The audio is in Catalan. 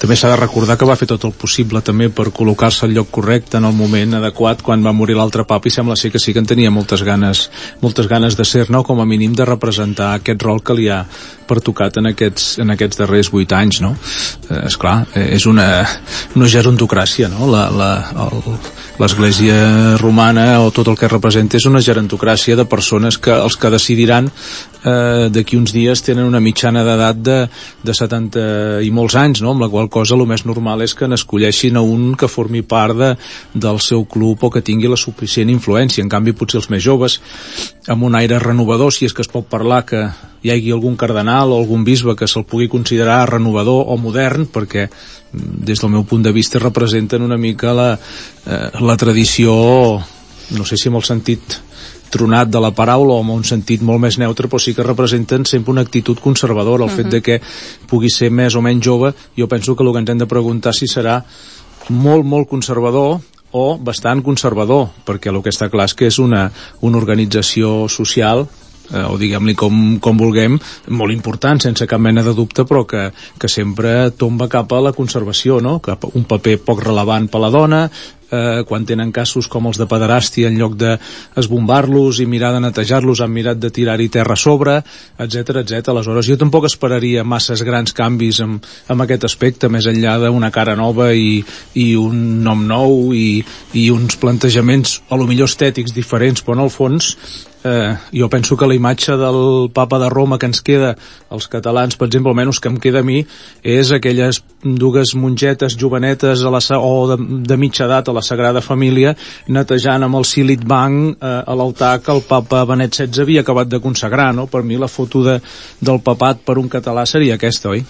també s'ha de recordar que va fer tot el possible també per col·locar-se al lloc correcte en el moment adequat quan va morir l'altre papa, i sembla ser que sí que en tenia moltes ganes de ser-ne, o com a mínim de representar aquest rol que li ha pertocat en aquests darrers 8 anys, no? Esclar, és una gerontocràcia, no? L'Església romana, o tot el que representa, és una gerontocràcia de persones que els que decidiran d'aquí uns dies tenen una mitjana d'edat de 70 i molts anys, no? Amb la qual cosa el més normal és que n'escolleixin a un que formi part del seu club o que tingui la suficient influència. En canvi, potser els més joves, amb un aire renovador, si és que es pot parlar que hi hagi algun cardenal o algun bisbe que se'l pugui considerar renovador o modern, perquè des del meu punt de vista representen una mica la tradició, no sé si amb el sentit tronat de la paraula o amb un sentit molt més neutre, però sí que representen sempre una actitud conservadora. El fet de que pugui ser més o menys jove, jo penso que el que ens hem de preguntar si serà molt, molt conservador o bastant conservador, perquè el que està clar és que és una organització social, o diguem-li com vulguem, molt important, sense cap mena de dubte, però que sempre tomba cap a la conservació, no? Cap a un paper poc relevant per la dona, quan tenen casos com els de pederàstia, en lloc d'esbombar-los i mirar de netejar-los, han mirat de tirar-hi terra a sobre, etc. Aleshores, jo tampoc esperaria masses grans canvis en aquest aspecte, més enllà d'una cara nova i un nom nou i uns plantejaments, a lo millor estètics diferents, però en el fons jo penso que la imatge del papa de Roma que ens queda als catalans, per exemple, almenys que em queda a mi, és aquelles dues mongetes jovenetes o de mitja edat a la Sagrada Família netejant amb el Silit Banc a l'altar que el papa Benet XVI havia acabat de consagrar, no? Per mi la foto del papat per un català seria aquesta, oi?